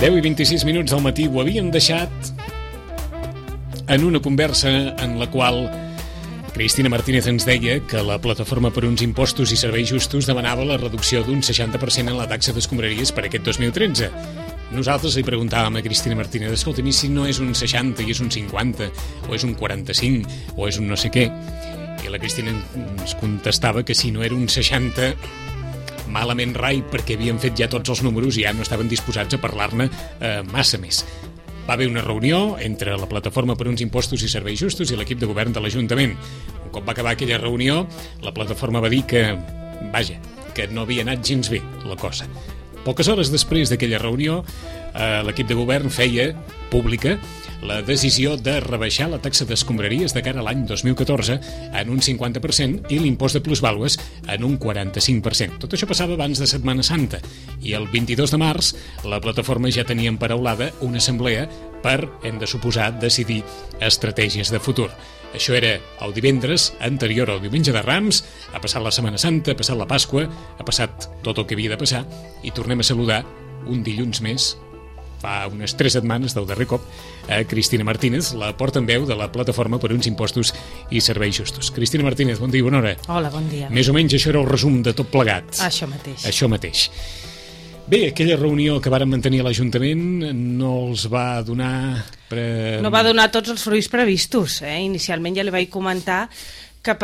I 26 minuts del matí ho havíem deixat en una conversa en la qual Cristina Martínez ens deia que la Plataforma per uns Impostos i Serveis Justos demanava la reducció d'un 60% en la taxa d'escombraries per aquest 2013. Nosaltres li preguntàvem a Cristina Martínez, escolta, si no és un 60 i és un 50, o és un 45, o és un no sé què. I la Cristina ens contestava que si no era un 60... malament rai, perquè havien fet ja tots els números i ja no estaven disposats a parlar-ne massa més. Va haver una reunió entre la Plataforma per uns Impostos i Serveis Justos i l'equip de govern de l'Ajuntament. Un cop va acabar aquella reunió, la plataforma va dir que, vaja, que no havia anat gens bé la cosa. Poques hores després d'aquella reunió, l'equip de govern feia pública la decisió de rebaixar la taxa d'escombraries de cara a l'any 2014 en un 50% i l'impost de plusvàlues en un 45%. Tot això passava abans de Setmana Santa i el 22 de març la plataforma ja tenia emparaulada una assemblea per, hem de suposar, decidir estratègies de futur. Això era el divendres anterior al diumenge de Rams, ha passat la Setmana Santa, ha passat la Pasqua, ha passat tot el que havia de passar i tornem a saludar un dilluns més, fa unes 3 setmanes del darrer cop, a Cristina Martínez, la portaveu de la Plataforma per uns Impostos i Serveis Justos. Cristina Martínez, bon dia, bona hora. Hola, bon dia. Més o menys això era el resum de tot plegat. Això mateix. Això mateix. Bé, aquella reunió que varen mantenir a l'Ajuntament no els va donar... No va donar tots els fruits previstos. Inicialment ja li vaig comentar que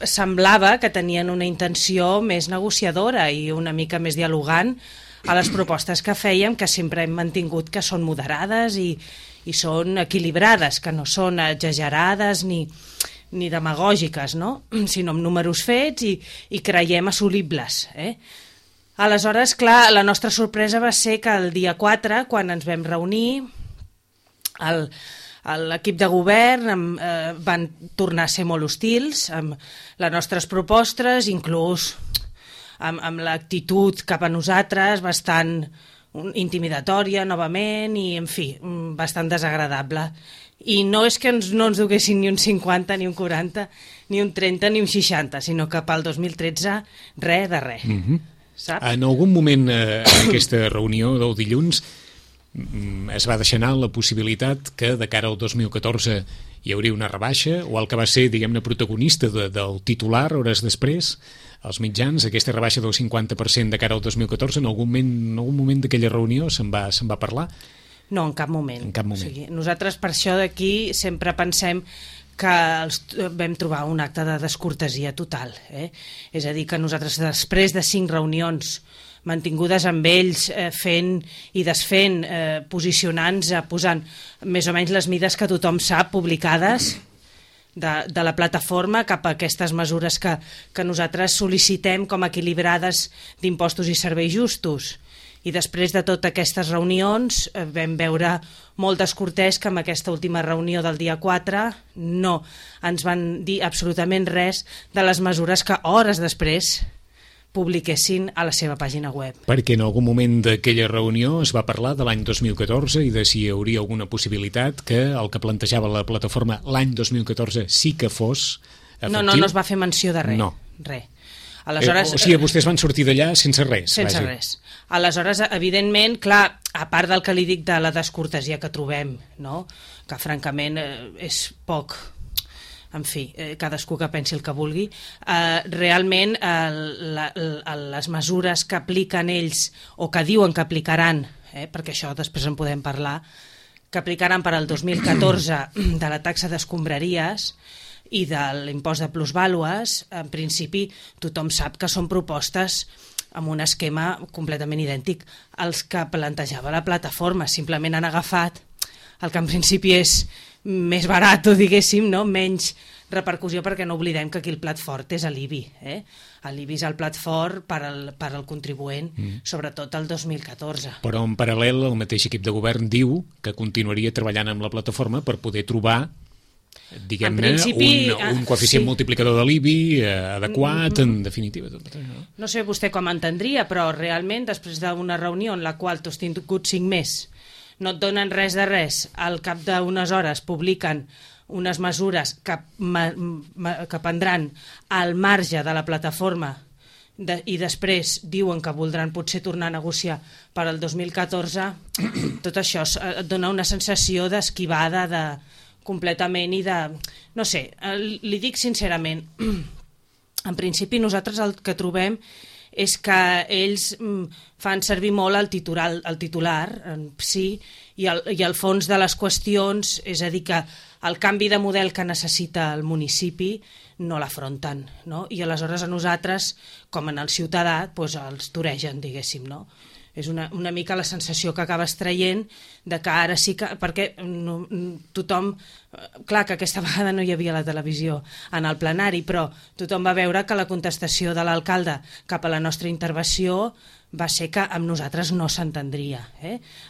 semblava que tenien una intenció més negociadora i una mica més dialogant a les propostes que fèiem, que sempre hem mantingut que són moderades i són equilibrades, que no són exagerades ni demagògiques, no? Sinó amb números fets i creiem assolibles. Aleshores, clar, la nostra sorpresa va ser que el dia 4, quan ens vam reunir, l'equip de govern van tornar a ser molt hostils amb les nostres propostes, inclús amb l'actitud cap a nosaltres bastant intimidatòria novament i, en fi, bastant desagradable. I no és que no ens duguessin ni un 50, ni un 40, ni un 30, ni un 60, sinó que pel 2013 res de res. Saps? En algun moment en aquesta reunió del dilluns es va deixar anar la possibilitat que de cara al 2014 hi hauria una rebaixa, o el que va ser, diguem-ne, protagonista del titular hores després, als mitjans, aquesta rebaixa del 50% de cara al 2014, en algun moment d'aquella reunió se'n va parlar? No, en cap moment. En cap moment. O sigui, nosaltres per això d'aquí sempre pensem que vam trobar un acte de descortesia total. És a dir, que nosaltres després de 5 reunions mantingudes amb ells, fent i desfent, posicionant-se, posant més o menys les mides que tothom sap, publicades de la plataforma cap a aquestes mesures que nosaltres sol·licitem com a equilibrades d'impostos i serveis justos. I després de totes aquestes reunions vam veure molt descortès que en aquesta última reunió del dia 4 no ens van dir absolutament res de les mesures que hores després publiquessin a la seva pàgina web. Perquè en algun moment d'aquella reunió es va parlar de l'any 2014 i de si hi hauria alguna possibilitat que el que plantejava la plataforma l'any 2014 sí que fos efectiu. No es va fer menció de res. No. Res. Aleshores, o sigui, vostès van sortir d'allà sense res. Sense res. Aleshores, evidentment, clar, a part del que li dic de la descortesia que trobem, no? Que francament és poc... En fi, cadascú que pensi el que vulgui. Realment, les mesures que apliquen ells, o que diuen que aplicaran, perquè això després en podem parlar, que aplicaran per al 2014 de la taxa d'escombraries i de l'impost de plusvàlues, en principi tothom sap que són propostes amb un esquema completament idèntic als que plantejava la plataforma. Simplement han agafat el que en principi és més barat, diguéssim, no? Menys repercussió, perquè no oblidem que aquí el plat fort és l'IBI. L'IBI és el plat fort per al contribuent, sobretot el 2014. Però en paral·lel el mateix equip de govern diu que continuaria treballant amb la plataforma per poder trobar, diguem-ne, un coeficient multiplicador de l'IBI adequat, en definitiva. No sé vostè com entendria, però realment després d'una reunió en la qual tu has tingut 5 més, no et donen res de res, al cap d'unes hores publiquen unes mesures que prendran al marge de la plataforma i després diuen que voldran potser tornar a negociar per al 2014, tot això et dona una sensació d'esquivada completament i de... No sé, li dic sincerament, en principi nosaltres el que trobem és que ells fan servir molt el titular sí, i el fons de les qüestions, és a dir, que el canvi de model que necessita el municipi no l'afronten, no? I aleshores a nosaltres, com en el ciutadà, doncs els toregen, diguéssim, no? És una mica la sensació que acabes traient de que ara sí que... Perquè tothom... Clar que aquesta vegada no hi havia la televisió en el plenari, però tothom va veure que la contestació de l'alcalde cap a la nostra intervenció va ser que amb nosaltres no s'entendria.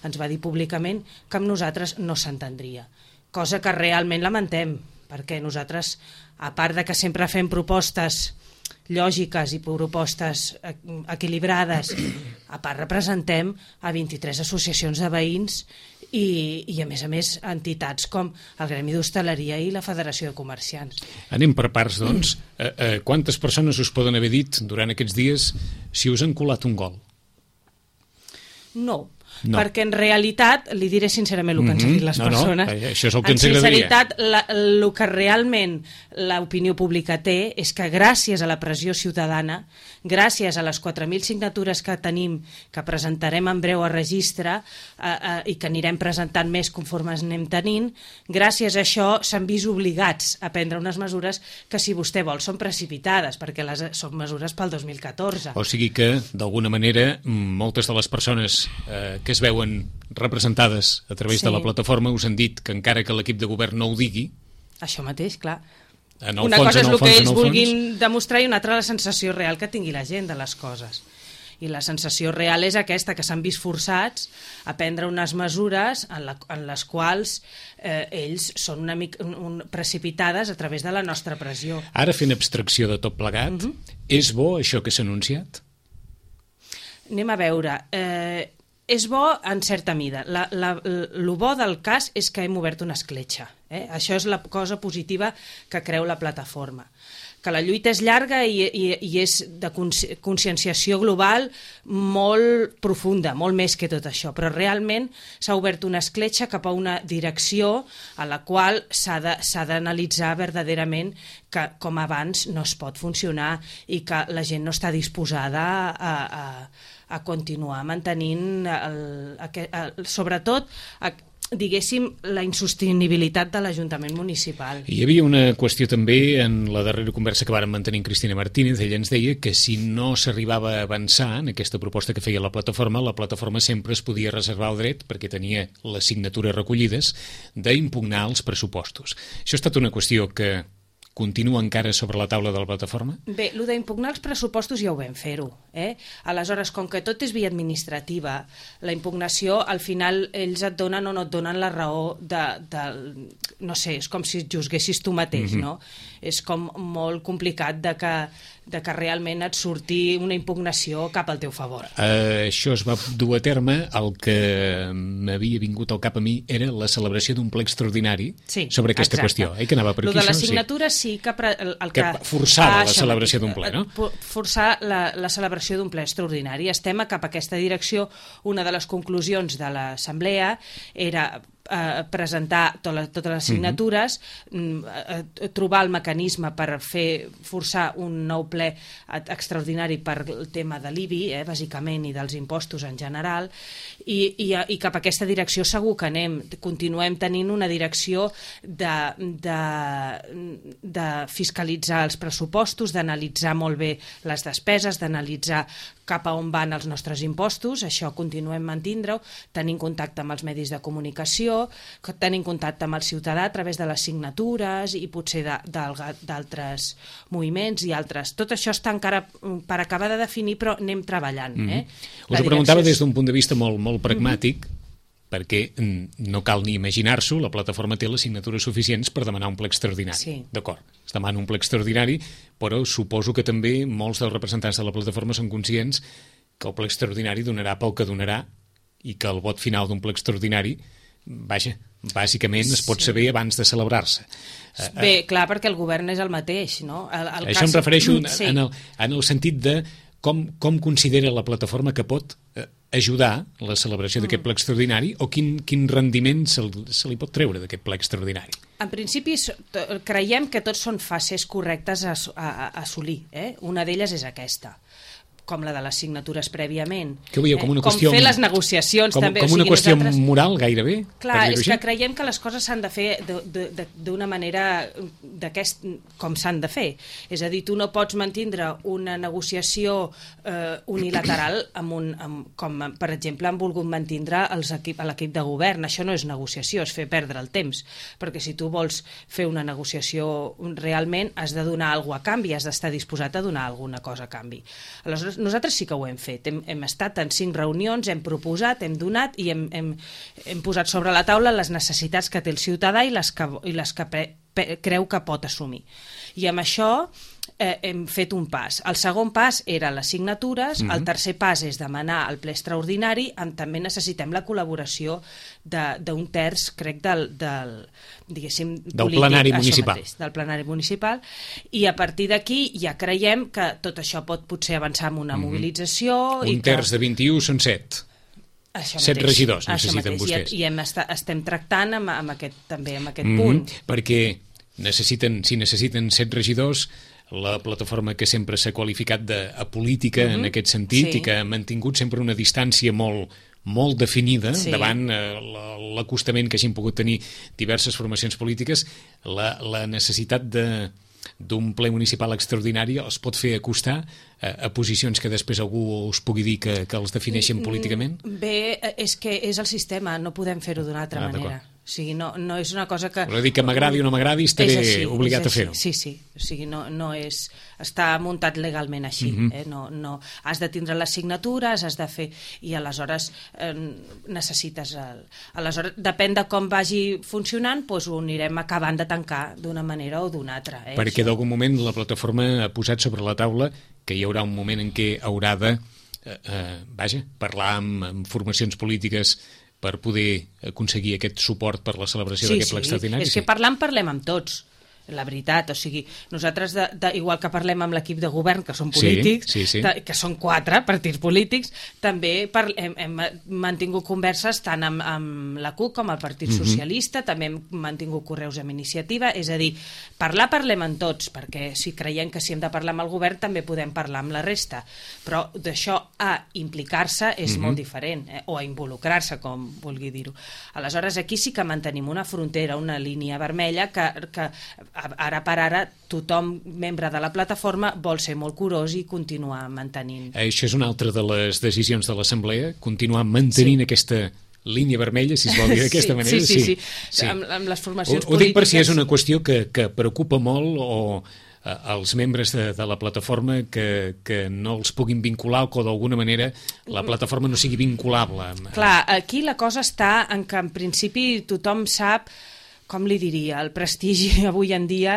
Ens va dir públicament que amb nosaltres no s'entendria. Cosa que realment lamentem, perquè nosaltres, a part de que sempre fem propostes lògiques i propostes equilibrades, a part representem a 23 associacions de veïns i a més entitats com el Gremi d'Hostaleria i la Federació de Comerciants. Anem per parts, doncs. Quantes persones us poden haver dit durant aquests dies si us han colat un gol? No, perquè en realitat, li diré sincerament el que ens han dit les persones. Això és el que ens agradaria. En sinceritat, el que realment l'opinió pública té és que gràcies a la pressió ciutadana, gràcies a les 4.000 signatures que tenim, que presentarem en breu a registre i que anirem presentant més conforme anem tenint, gràcies a això s'han vist obligats a prendre unes mesures que, si vostè vol, són precipitades, perquè són mesures pel 2014. O sigui que, d'alguna manera, moltes de les persones que es veuen representades a través de la plataforma us han dit que encara que l'equip de govern no ho digui... Això mateix, clar. Una cosa és el que ells vulguin demostrar i una altra la sensació real que tingui la gent de les coses. I la sensació real és aquesta, que s'han vist forçats a prendre unes mesures en les quals ells són una mica precipitades a través de la nostra pressió. Ara, fent abstracció de tot plegat, és bo això que s'ha anunciat? Anem a veure... És bo en certa mida. El bo del cas és que hem obert una escletxa. Això és la cosa positiva que creu la plataforma. Que la lluita és llarga i és de conscienciació global molt profunda, molt més que tot això. Però realment s'ha obert una escletxa cap a una direcció a la qual s'ha d'analitzar verdaderament que, com abans, no es pot funcionar i que la gent no està disposada a continuar mantenint sobretot diguéssim la insostenibilitat de l'Ajuntament municipal. Hi havia una qüestió també en la darrera conversa que vàrem mantenir amb Cristina Martínez. Ella ens deia que si no s'arribava a avançar en aquesta proposta que feia la plataforma sempre es podia reservar el dret, perquè tenia les signatures recollides, d'impugnar els pressupostos. Això ha estat una qüestió que continua encara sobre la taula de la plataforma? Bé, el d'impugnar els pressupostos ja ho vam fer-ho. Aleshores, com que tot és via administrativa, la impugnació, al final, ells et donen o no et donen la raó no sé, és com si et juzguessis tu mateix, no? És com molt complicat de que realment et surti una impugnació cap al teu favor. Això es va dur a terme. El que m'havia vingut al cap a mi era la celebració d'un ple extraordinari sobre aquesta qüestió. Que anava per aquí, això? De les signatures sí que... Que forçava la celebració d'un ple, no? Forçar la celebració d'un ple extraordinari. Estem cap a aquesta direcció. Una de les conclusions de l'Assemblea era presentar totes les signatures, trobar el mecanisme per forçar un nou ple extraordinari per el tema de l'IBI, bàsicament, i dels impostos en general, i cap a aquesta direcció segur que anem. Continuem tenint una direcció de fiscalitzar els pressupostos, d'analitzar molt bé les despeses, d'analitzar cap a on van els nostres impostos, això continuem mantindre-ho, tenint contacte amb els medis de comunicació, tenint contacte amb el ciutadà a través de les signatures i potser d'altres moviments i altres. Tot això està encara per acabar de definir, però anem treballant. Us ho preguntava des d'un punt de vista molt pragmàtic, perquè no cal ni imaginar-s'ho, la plataforma té les signatures suficients per demanar un ple extraordinari. Sí. D'acord, es demana un ple extraordinari, però suposo que també molts dels representants de la plataforma són conscients que el ple extraordinari donarà pel que donarà i que el vot final d'un ple extraordinari, vaja, bàsicament es pot saber abans de celebrar-se. Bé, clar, perquè el govern és el mateix, no? Això em refereixo en el sentit de com considera la plataforma que pot ajudar la celebració d'aquest ple extraordinari o quin rendiment se li pot treure d'aquest ple extraordinari? En principi, creiem que tots són fases correctes a assolir. Una d'elles és aquesta, com la de les signatures prèviament. Que ho veieu com una qüestió... Com fer les negociacions, també. Com una qüestió moral, gairebé? Clar, és que creiem que les coses s'han de fer d'una manera com s'han de fer. És a dir, tu no pots mantindre una negociació unilateral com, per exemple, han volgut mantindre l'equip de govern. Això no és negociació, és fer perdre el temps. Perquè si tu vols fer una negociació realment, has de donar alguna cosa a canvi, has d'estar disposat a donar alguna cosa a canvi. Aleshores, nosaltres sí que ho hem fet. Hem estat en 5 reunions, hem proposat, hem donat i hem posat sobre la taula les necessitats que té el ciutadà i les que creu que pot assumir. I amb això hem fet un pas. El segon pas era les signatures, el tercer pas és demanar el ple extraordinari, també necessitem la col·laboració d'un terç, crec, del plenari municipal. Del plenari municipal, i a partir d'aquí ja creiem que tot això pot potser avançar amb una mobilització. Un terç de 21 són 7. 7 regidors necessiten vostès. I estem tractant amb aquest punt. Perquè si necessiten 7 regidors, la plataforma que sempre s'ha qualificat d'apolítica en aquest sentit i que ha mantingut sempre una distància molt definida davant l'acostament que hagin pogut tenir diverses formacions polítiques, la necessitat d'un ple municipal extraordinari els pot fer acostar a posicions que després algú us pugui dir que els defineixen políticament? Bé, és que és el sistema, no podem fer-ho d'una altra manera. O sigui, no és una cosa que... Vol dir que m'agradi o no m'agradi estaré obligat a fer-ho. Sí. O sigui, no és... Està muntat legalment així. No, has de tindre les signatures, has de fer... I aleshores necessites... Aleshores, depèn de com vagi funcionant, doncs ho anirem acabant de tancar d'una manera o d'una altra. Perquè d'algun moment la plataforma ha posat sobre la taula que hi haurà un moment en què haurà de parlar amb formacions polítiques per poder aconseguir aquest suport per la celebració d'aquest ple extraordinari. És que parlem amb tots, la veritat. O sigui, nosaltres, igual que parlem amb l'equip de govern, que són polítics, que són 4 partits polítics, també hem mantingut converses tant amb la CUP com el Partit Socialista, també hem mantingut correus amb iniciativa, és a dir, parlem amb tots, perquè si creiem que si hem de parlar amb el govern també podem parlar amb la resta, però d'això a implicar-se és molt diferent, o a involucrar-se, com vulgui dir-ho. Aleshores, aquí sí que mantenim una frontera, una línia vermella que ara per ara tothom membre de la plataforma vol ser molt curós i continuar mantenint. Això és una altra de les decisions de l'Assemblea, continuar mantenint aquesta línia vermella, si es vol dir d'aquesta manera. Sí. Amb les formacions polítiques. Ho dic per si és una qüestió que preocupa molt o als membres de la plataforma que no els puguin vincular o que d'alguna manera la plataforma no sigui vinculable. Clar, aquí la cosa està en que en principi tothom sap, com li diria, el prestigi avui en dia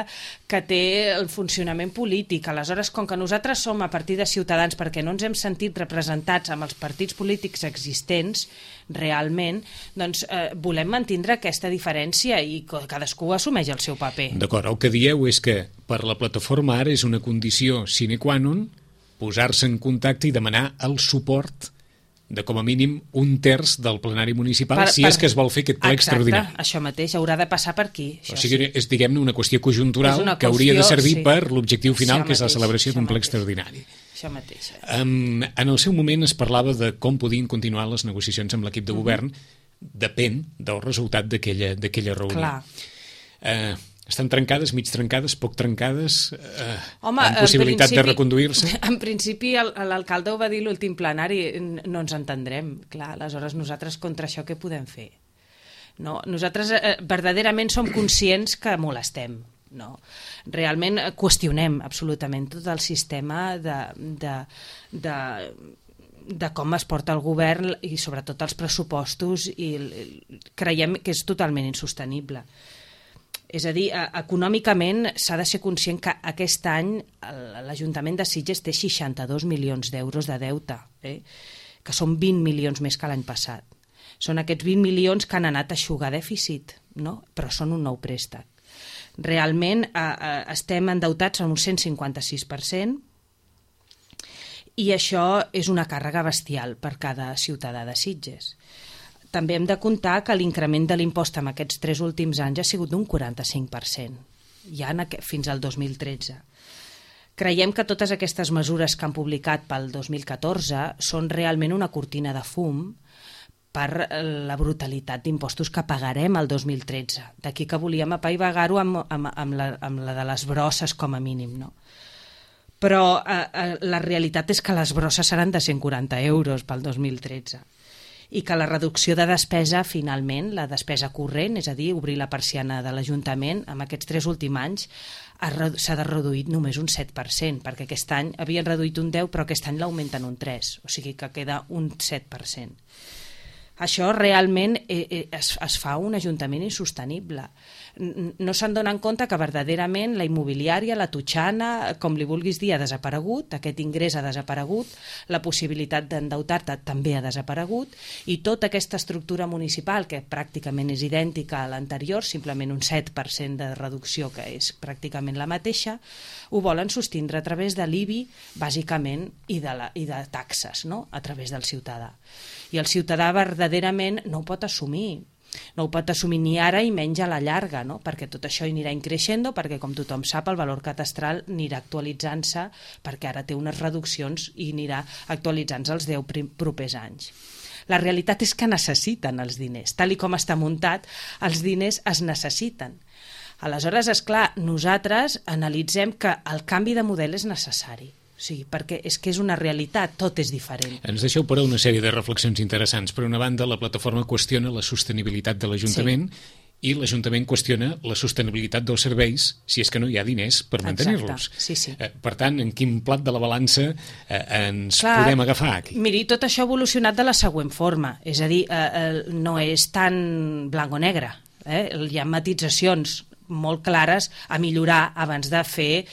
que té el funcionament polític. Aleshores, com que nosaltres som a partir de Ciutadans, perquè no ens hem sentit representats amb els partits polítics existents realment, doncs volem mantindre aquesta diferència i cadascú assumeix el seu paper. D'acord, el que dieu és que per la plataforma ara és una condició sine qua non posar-se en contacte i demanar el suport de com a mínim un terç del plenari municipal si és que es vol fer aquest ple extraordinari. Exacte, això mateix, haurà de passar per aquí. O sigui, és, diguem-ne, una qüestió conjuntural que hauria de servir per l'objectiu final, que és la celebració d'un ple extraordinari. Això mateix. En el seu moment es parlava de com podien continuar les negociacions amb l'equip de govern, depèn del resultat d'aquella reunió. Clar. Estan trencades, mig trencades, poc trencades, Home, amb possibilitat de reconduir-se? En principi, l'alcalde ho va dir l'últim plenari, no ens entendrem. Clar, aleshores nosaltres contra això què podem fer? No? Nosaltres verdaderament som conscients que molestem. No. Realment qüestionem absolutament tot el sistema de com es porta el govern i sobretot els pressupostos, i creiem que és totalment insostenible. És a dir, econòmicament s'ha de ser conscient que aquest any l'Ajuntament de Sitges té 62 milions d'euros de deute, que són 20 milions més que l'any passat. Són aquests 20 milions que han anat a eixugar dèficit, no? Però són un nou préstec. Realment estem endeutats en un 156%, i això és una càrrega bestial per cada ciutadà de Sitges. També hem de comptar que l'increment de l'impost en aquests 3 últims anys ha sigut d'un 45%, ja fins al 2013. Creiem que totes aquestes mesures que han publicat pel 2014 són realment una cortina de fum per la brutalitat d'impostos que pagarem el 2013. D'aquí que volíem apaivagar-ho amb la de les brosses com a mínim, no? Però la realitat és que les brosses seran de 140 euros pel 2013 i que la reducció de despesa, finalment, la despesa corrent, és a dir, obrir la persiana de l'Ajuntament, en aquests 3 últims anys s'ha de reduir només un 7%, perquè aquest any havien reduït un 10%, però aquest any l'augmenten un 3%, o sigui que queda un 7%. Això realment es fa un Ajuntament insostenible. No se'n donen compte que verdaderament la immobiliària, la totxana, com li vulguis dir, ha desaparegut, aquest ingrés ha desaparegut, la possibilitat d'endeutar-te també ha desaparegut, i tota aquesta estructura municipal, que pràcticament és idèntica a l'anterior, simplement un 7% de reducció, que és pràcticament la mateixa, ho volen sostindre a través de l'IBI, bàsicament, i de taxes, no?, a través del ciutadà. I el ciutadà verdaderament no ho pot assumir. No ho pot assumir ni ara i menys a la llarga, no? Perquè tot això anirà increixent, perquè com tothom sap el valor catastral anirà actualitzant-se, perquè ara té unes reduccions i anirà actualitzant-se els 10 propers anys. La realitat és que necessiten els diners. Tal i com està muntat, els diners es necessiten. Aleshores, esclar, nosaltres analitzem que el canvi de model és necessari. O sigui, perquè és que és una realitat, tot és diferent. Ens deixeu per una sèrie de reflexions interessants. Per una banda, la plataforma qüestiona la sostenibilitat de l'Ajuntament, i l'Ajuntament qüestiona la sostenibilitat dels serveis si és que no hi ha diners per mantenir-los. Sí. Per tant, en quin plat de la balança ens podem agafar aquí? Miri, tot això ha evolucionat de la següent forma, és a dir, no és tan blanc o negre, hi ha matitzacions molt clares a millorar abans de fer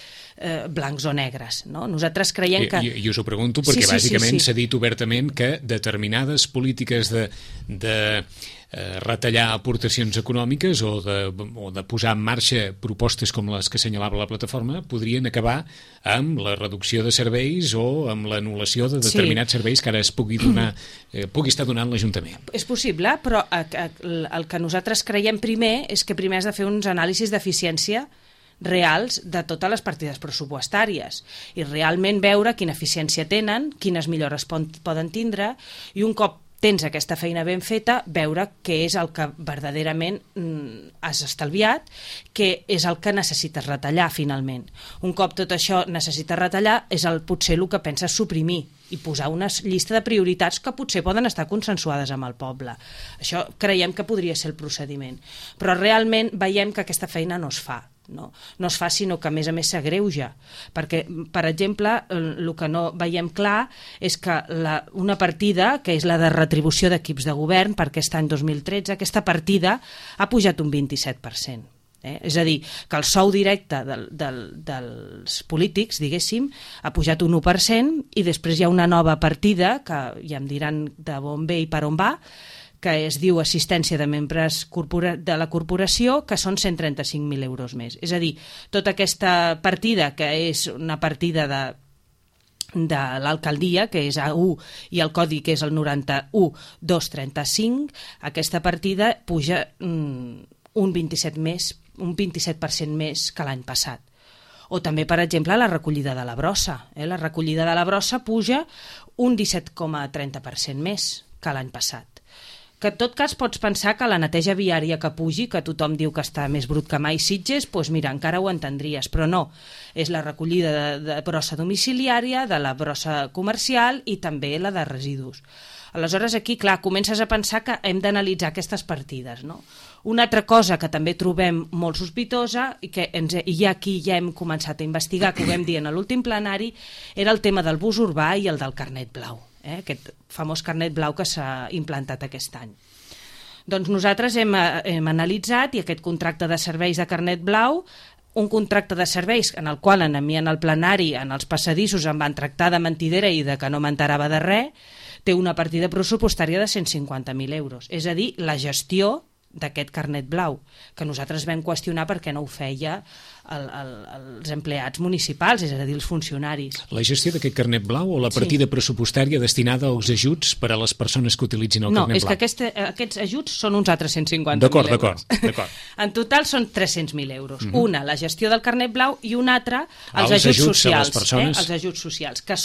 blancs o negres, no? Nosaltres creiem que... I us ho pregunto perquè bàsicament s'ha dit obertament que determinades polítiques de retallar aportacions econòmiques o de posar en marxa propostes com les que assenyalava la plataforma podrien acabar amb la reducció de serveis o amb l'anul·lació de determinats serveis que ara es pugui estar donant l'Ajuntament. És possible, però el que nosaltres creiem primer és que primer has de fer uns anàlisis d'eficiència reals de totes les partides pressupostàries i realment veure quina eficiència tenen, quines millores poden tindre, i un cop tens aquesta feina ben feta, veure què és el que verdaderament has estalviat, què és el que necessites retallar finalment. Un cop tot això necessites retallar, és potser el que penses suprimir i posar una llista de prioritats que potser poden estar consensuades amb el poble. Això creiem que podria ser el procediment. Però realment veiem que aquesta feina no es fa. No es fa, sinó que a més s'agreuja, perquè, per exemple, el que no veiem clar és que una partida, que és la de retribució d'equips de govern per aquest any 2013, aquesta partida ha pujat un 27%. És a dir, que el sou directe dels polítics, diguéssim, ha pujat un 1%, i després hi ha una nova partida, que ja em diran de on ve i per on va, que es diu assistència de membres de la corporació, que són 135.000 euros més. És a dir, tota aquesta partida, que és una partida de l'alcaldia, que és A1, i el codi, que és el 91.235, aquesta partida puja un 27% més que l'any passat. O també, per exemple, la recollida de la brossa. La recollida de la brossa puja un 17,30% més que l'any passat. que en tot cas pots pensar que la neteja viària que pugi, que tothom diu que està més brut que mai Sitges, doncs mira, encara ho entendries, però no. És la recollida de brossa domiciliària, de la brossa comercial i també la de residus. Aleshores, aquí, clar, comences a pensar que hem d'analitzar aquestes partides, no? Una altra cosa que també trobem molt sospitosa i que aquí ja hem començat a investigar, que ho vam dir en l'últim plenari, era el tema del bus urbà i el del carnet blau, aquest famós carnet blau que s'ha implantat aquest any. Doncs nosaltres hem analitzat i aquest contracte de serveis de carnet blau, un contracte de serveis en el qual a mi en el plenari, en els passadissos, em van tractar de mentidera i de que no m'enterava de res, té una partida pressupostària de 150.000 euros. És a dir, la gestió d'aquest carnet blau, que nosaltres vam qüestionar perquè no ho feia els empleats municipals, és a dir, els funcionaris. La gestió d'aquest carnet blau o la partida pressupostària destinada als ajuts per a les persones que utilitzin el carnet blau? No, és que aquests ajuts són uns altres 150.000 euros. D'acord. En total són 300.000 euros. Una, la gestió del carnet blau, i una altra, els ajuts socials. Els ajuts socials, que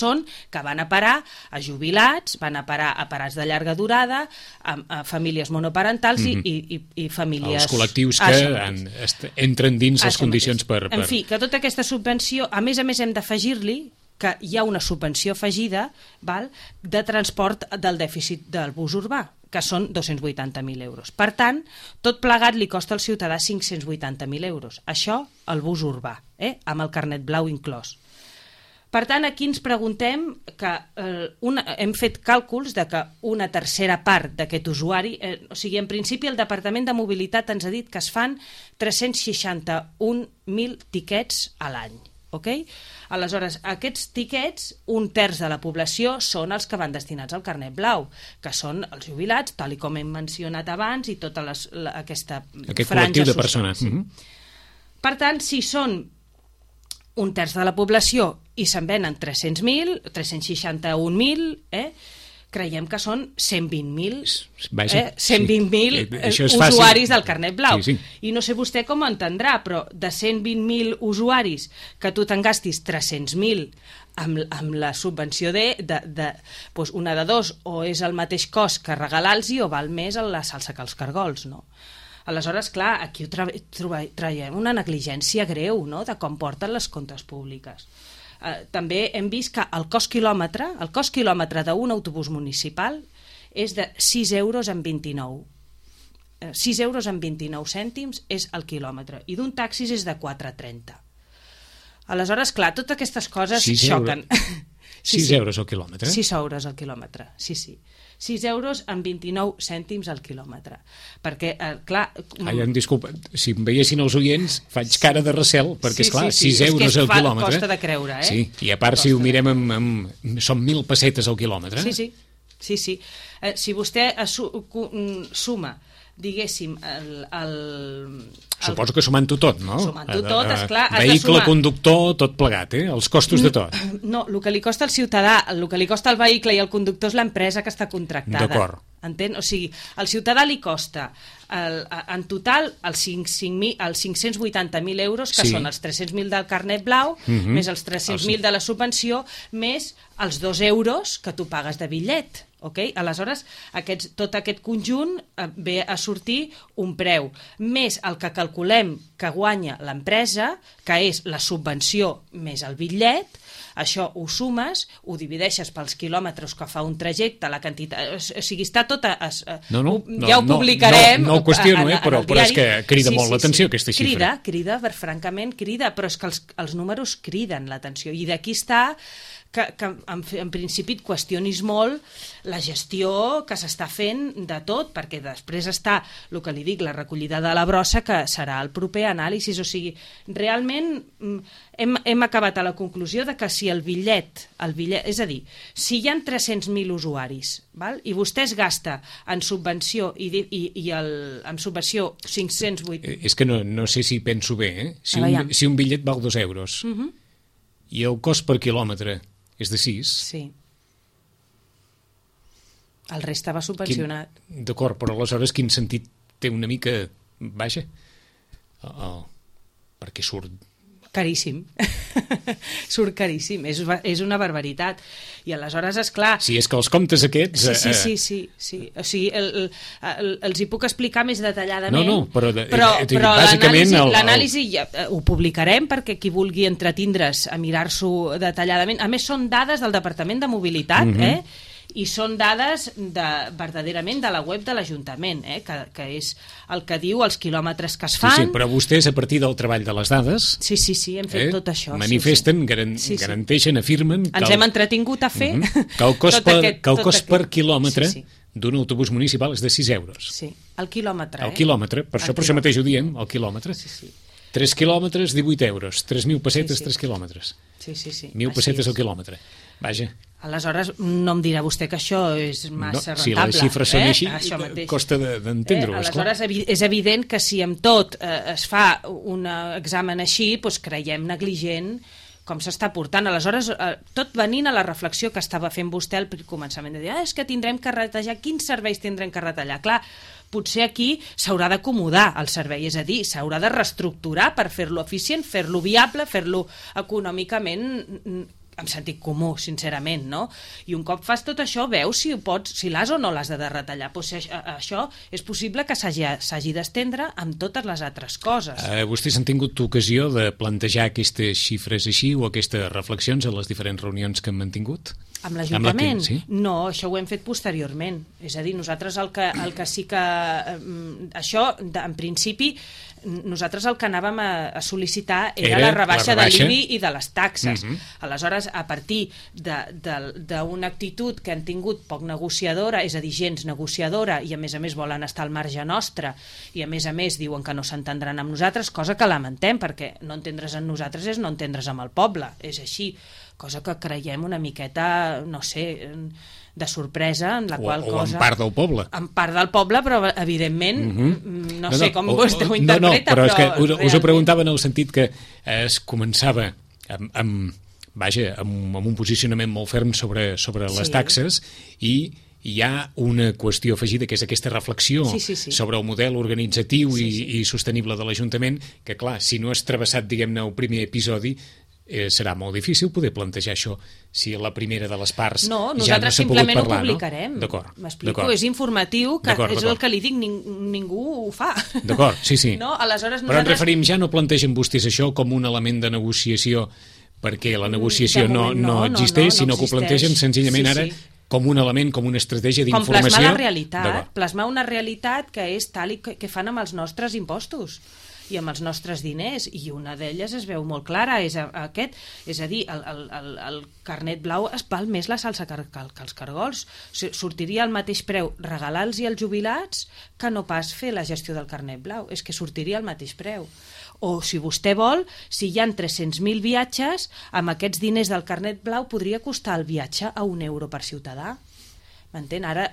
van a parar a jubilats, van a parar a parats de llarga durada, a famílies monoparentals i famílies... Els col·lectius que entren dins les condicions per... En fi, que tota aquesta subvenció, a més hem d'afegir-li que hi ha una subvenció afegida de transport del dèficit del bus urbà, que són 280.000 euros. Per tant, tot plegat li costa al ciutadà 580.000 euros. Això, el bus urbà, amb el carnet blau inclòs. Per tant, aquí ens preguntem que hem fet càlculs de que una tercera part d'aquest usuari, o sigui, en principi el Departament de Mobilitat ens ha dit que es fan 361.000 tiquets a l'any. Okay? Aleshores, aquests tiquets, un terç de la població són els que van destinats al carnet blau, que són els jubilats, tal com hem mencionat abans, i tota aquesta aquest franja col·lectiu de social. persones. Per tant, si són un terç de la població i se'n venen 300.000, 361.000, creiem que són 120.000 usuaris del carnet blau. Sí. I no sé vostè com ho entendrà, però de 120.000 usuaris que tu te'n gastis 300.000 amb la subvenció doncs una de dos, o és el mateix cost que regalar-los o val més la salsa que els cargols, no? Aleshores, clar, aquí traiem una negligència greu, no?, de com porten les comptes públiques. També hem vist que el cost quilòmetre d'un autobús municipal és de 6 euros amb 29. 6 euros amb 29 cèntims és el quilòmetre, i d'un taxi és de 4,30. Aleshores, clar, totes aquestes coses xoquen. 6 euros al quilòmetre? 6 euros al quilòmetre, sí. 6 euros amb 29 cèntims al quilòmetre. Perquè, clar... Disculpa, si em veiessin els oients, faig cara de recel, perquè, esclar, 6 euros al quilòmetre... Costa de creure, Sí, i a part, si ho mirem són 1.000 pessetes al quilòmetre. Sí. Si vostè suma, diguéssim, Suposo que sumant-ho tot, no? Sumant-ho tot, esclar, has de sumar... Vehicle, conductor, tot plegat, els costos de tot. No, el que li costa al ciutadà, el que li costa al vehicle i al conductor és l'empresa que està contractada. D'acord. Entén? O sigui, al ciutadà li costa en total els 580.000 euros, que són els 300.000 del carnet blau, més els 300.000 de la subvenció, més els 2 euros que tu pagues de bitllet. Okay? Aleshores, tot aquest conjunt ve a sortir un preu, més el que calculem que guanya l'empresa, que és la subvenció més el bitllet. Això ho sumes, ho divideixes pels quilòmetres que fa un trajecte, la quantitat... O sigui, està tot... Ja ho publicarem. No ho qüestiono, però és que crida molt l'atenció aquesta xifra. Francament crida, però és que els números criden l'atenció. I d'aquí està que en principi et qüestionis molt la gestió que s'està fent de tot, perquè després està el que li dic, la recollida de la brossa, que serà el proper anàlisi. O sigui, realment hem acabat a la conclusió de que si el bitllet, és a dir, si hi ha 300.000 usuaris, i vostè es gasta en subvenció i en subvenció 508... És que no sé si penso bé, si un bitllet val 2 euros i el cost per quilòmetre és de 6... Sí. El reste va subvencionat. D'acord, però aleshores quin sentit té una mica... Vaja, perquè surt caríssim. Surt caríssim, és una barbaritat. I aleshores, esclar... Sí, és que els comptes aquests... Sí. O sigui, els hi puc explicar més detalladament. No, però bàsicament l'anàlisi ho publicarem perquè qui vulgui entretindre's a mirar-s'ho detalladament. A més, són dades del Departament de Mobilitat, i són dades verdaderament de la web de l'Ajuntament, que és el que diu els quilòmetres que es fan. Sí, però vostès, a partir del treball de les dades... Sí, hem fet tot això. Manifesten, garanteixen, afirmen... Ens hem entretingut a fer... Que el cost per quilòmetre d'un autobús municipal és de 6 euros. Sí, el quilòmetre. El quilòmetre, per això mateix ho diem, el quilòmetre. 3 quilòmetres, 18 euros. 3.000 pessetes, 3 quilòmetres. 1.000 pessetes al quilòmetre. Vaja. Aleshores, no em dirà vostè que això és massa rentable. Si les xifres són així, costa d'entendre-ho. Aleshores, és evident que si amb tot es fa un examen així, doncs creiem negligent com s'està portant. Aleshores, tot venint a la reflexió que estava fent vostè al començament, de dir, és que tindrem que retallar, quins serveis tindrem que retallar? Clar, potser aquí s'haurà d'acomodar el servei, és a dir, s'haurà de reestructurar per fer-lo eficient, fer-lo viable, fer-lo econòmicament amb sentit comú, sincerament, no? I un cop fas tot això, veus si l'has o no l'has de retallar. Pues això és possible que s'hagi d'estendre amb totes les altres coses. Vostès han tingut ocasió de plantejar aquestes xifres així o aquestes reflexions a les diferents reunions que han mantingut? Amb l'Ajuntament? Sí? No, això ho hem fet posteriorment. És a dir, nosaltres el que sí que... Això, en principi, nosaltres el que anàvem a sol·licitar era la rebaixa de l'IBI i de les taxes. Aleshores, a partir d'una actitud que han tingut poc negociadora, és a dir, gens negociadora, i a més volen estar al marge nostre, i a més diuen que no s'entendran amb nosaltres, cosa que lamentem, perquè no entendre's amb nosaltres és no entendre's amb el poble, és així, cosa que creiem una miqueta, no sé, de sorpresa, en la qual cosa... O en part del poble. En part del poble, però evidentment, no sé com vostè ho interpreta, però és que us ho preguntava en el sentit que es començava amb un posicionament molt ferm sobre les taxes i hi ha una qüestió afegida que és aquesta reflexió sobre el model organitzatiu i sostenible de l'Ajuntament que, clar, si no has travessat, diguem-ne, el primer episodi, serà molt difícil poder plantejar això si la primera de les parts ja no s'ha pogut parlar. Nosaltres simplement ho publicarem. D'acord. M'explico, és informatiu, que és el que li dic, ningú ho fa. D'acord, sí. No? Aleshores, però en referim, ja no plantegen vostès això com un element de negociació perquè la negociació no existeix, sinó que ho plantegen senzillament ara com un element, com una estratègia d'informació. Com plasmar la realitat, plasmar una realitat que és tal i que fan amb els nostres impostos i amb els nostres diners, i una d'elles es veu molt clara, és aquest, és a dir, el carnet blau es val més la salsa que els cargols. Sortiria al mateix preu regalar-los als jubilats que no pas fer la gestió del carnet blau, és que sortiria al mateix preu. O, si vostè vol, si hi ha 300.000 viatges, amb aquests diners del carnet blau podria costar el viatge a €1 per ciutadà. M'entén? Ara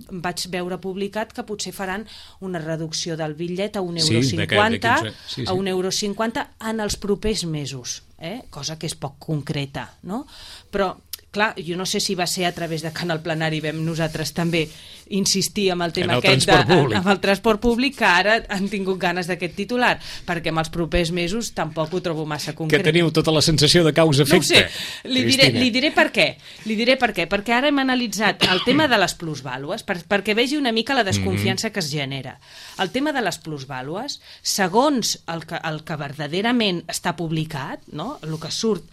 vaig veure publicat que potser faran una reducció del bitllet a €1,50 a €1,50 en els propers mesos, cosa que és poc concreta, no? Però, clar, jo no sé si va ser a través de Canal Plenari, vam nosaltres també insistir amb el tema aquest amb el transport públic, que ara han tingut ganes d'aquest titular, perquè en els propers mesos tampoc ho trobo massa concret. Que teniu tota la sensació de causa-efecte. No ho sé, li diré per què. Perquè ara hem analitzat el tema de les plusvàlues, perquè vegi una mica la desconfiança que es genera. El tema de les plusvàlues, segons el que verdaderament està publicat, no? El que surt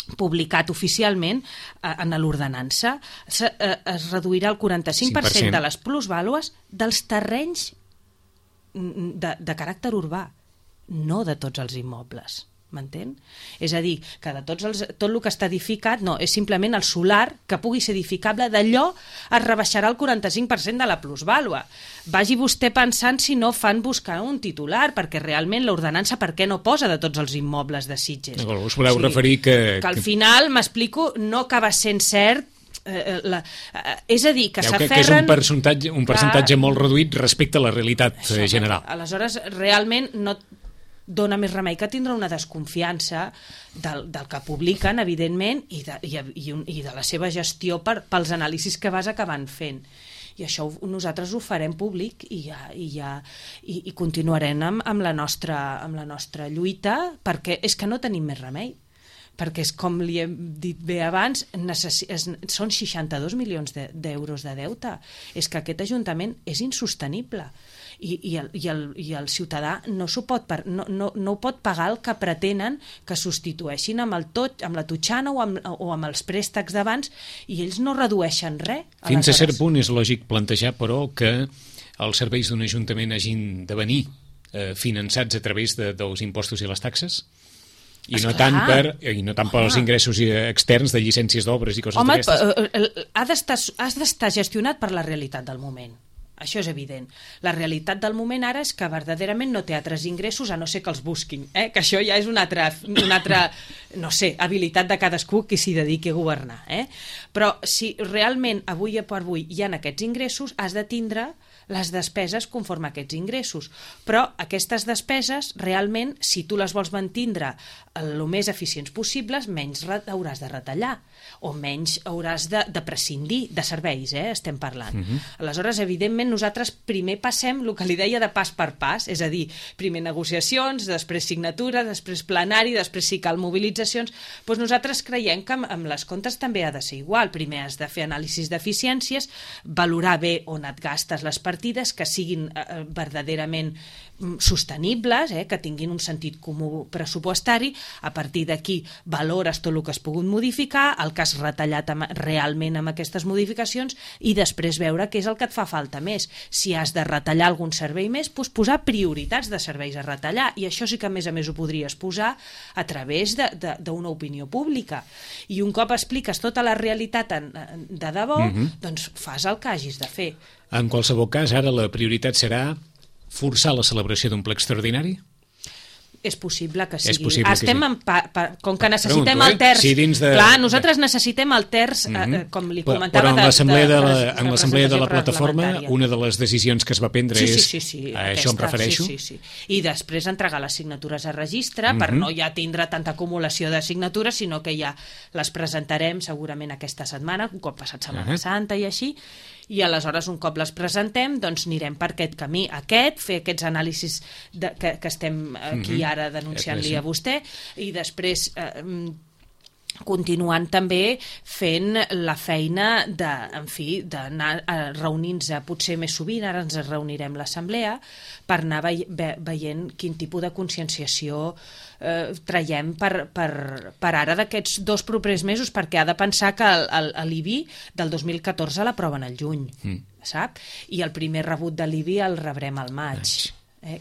publicat oficialment en l'ordenança, es reduirà el 45% de les plusvàlues dels terrenys de caràcter urbà, no de tots els immobles. M'entén? És a dir, que de tot el que està edificat, no, és simplement el solar que pugui ser edificable, d'allò es rebaixarà el 45% de la plusvàlua. Vagi vostè pensant si no fan buscar un titular, perquè realment l'ordenança per què no posa de tots els immobles de Sitges? Us voleu referir que al final, m'explico, no acaba sent cert. És a dir, que s'aferren... Que és un percentatge molt reduït respecte a la realitat general. Aleshores, realment no dona més remei que tindre una desconfiança del que publiquen, evidentment, i de la seva gestió pels anàlisis que vas acabant fent. i això nosaltres ho farem públic i continuarem amb la nostra lluita, perquè és que no tenim més remei, perquè és com li hem dit bé abans, són 62 milions d'euros de deute. És que aquest Ajuntament és insostenible i el ciutadà no ho pot pagar el que pretenen que substitueixin amb la totxana o amb els préstecs d'abans, i ells no redueixen res. Fins a cert punt és lògic plantejar, però, que els serveis d'un ajuntament hagin de venir finançats a través dels impostos i les taxes? I no tant pels ingressos externs de llicències d'obres i coses d'aquestes. Home, has d'estar gestionat per la realitat del moment. Això és evident. La realitat del moment ara és que verdaderament no té altres ingressos a no ser que els busquin, que això ja és una altra no sé, habilitat de cadascú qui s'hi dediqui a governar. Però si realment avui per avui hi ha aquests ingressos, has de tindre les despeses conforme a aquests ingressos. Però aquestes despeses, realment, si tu les vols mantindre el més eficients possibles, menys hauràs de retallar, o menys hauràs de prescindir de serveis, estem parlant. Aleshores, evidentment, nosaltres primer passem el que li deia de pas per pas, és a dir, primer negociacions, després signatura, després plenari, després si cal mobilitzacions. Doncs nosaltres creiem que amb les comptes també ha de ser igual. Primer has de fer anàlisis d'eficiències, valorar bé on et gastes les partides, que siguin verdaderament sostenibles, que tinguin un sentit comú pressupostari. A partir d'aquí valores tot el que has pogut modificar, el que has retallat realment amb aquestes modificacions, i després veure què és el que et fa falta més. Si has de retallar algun servei més, doncs posar prioritats de serveis a retallar, i això sí que a més ho podries posar a través d'una opinió pública. I un cop expliques tota la realitat de debò, doncs fas el que hagis de fer. En qualsevol cas, ara la prioritat serà forçar la celebració d'un ple extraordinari? És possible que sigui. És possible que sí. Com que necessitem el terç... Clar, nosaltres necessitem el terç, com li comentava... Però en l'assemblea de la plataforma, una de les decisions que es va prendre és... A això em refereixo? Sí. I després entregar les signatures a registre, per no ja tindre tanta acumulació de signatures, sinó que ja les presentarem segurament aquesta setmana, un cop passat Setmana Santa i així, i aleshores un cop les presentem doncs anirem per aquest camí, fer aquests anàlisis que estem aquí ara denunciant-li a vostè, i després continuant també fent la feina d'anar reunint-nos potser més sovint. Ara ens reunirem l'assemblea per anar veient quin tipus de conscienciació traiem per ara d'aquests 2 propers mesos, perquè ha de pensar que l'IBI del 2014 l'aproven al juny, sap? I el primer rebut de l'IBI el rebrem al maig,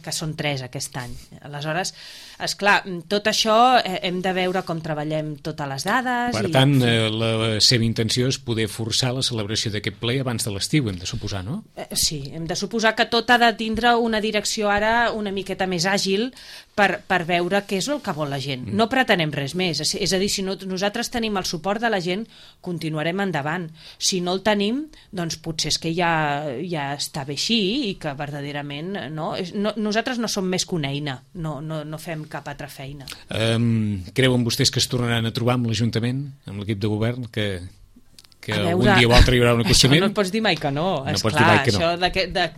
que són 3 aquest any. Aleshores, esclar, tot això hem de veure com treballem totes les dades. Per tant, la seva intenció és poder forçar la celebració d'aquest ple abans de l'estiu, hem de suposar, no? Sí, hem de suposar que tot ha de tindre una direcció ara una miqueta més àgil per veure què és el que vol la gent. No pretenem res més. És a dir, si nosaltres tenim el suport de la gent, continuarem endavant. Si no el tenim, doncs potser és que ja està bé així i que verdaderament nosaltres no som més que una eina, no fem cap altra feina. Creuen vostès que es tornaran a trobar amb l'Ajuntament, amb l'equip de govern, que algun dia o altre hi haurà un acostament? Això no pots dir mai que no, esclar,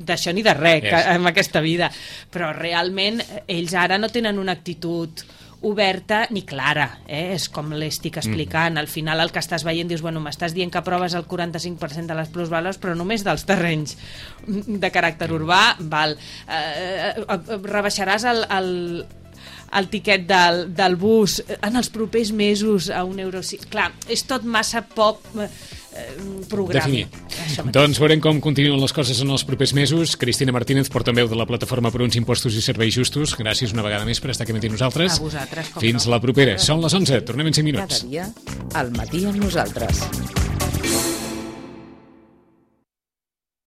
d'això ni de res en aquesta vida, però realment ells ara no tenen una actitud oberta ni clara, és com l'estic explicant. Al final el que estàs veient dius, bueno, m'estàs dient que aproves el 45% de les plusvàlues, però només dels terrenys de caràcter urbà, rebaixaràs el tiquet del bus en els propers mesos a €1. Clar, és tot massa poc programa. Doncs veurem com continuen les coses en els propers mesos. Cristina Martínez, portaveu de la Plataforma per uns Impostos i Serveis Justos, gràcies una vegada més per estar aquí amb nosaltres. A vosaltres. Fins la propera. Són les 11, tornem en 5 minuts. Cada dia, al matí amb nosaltres.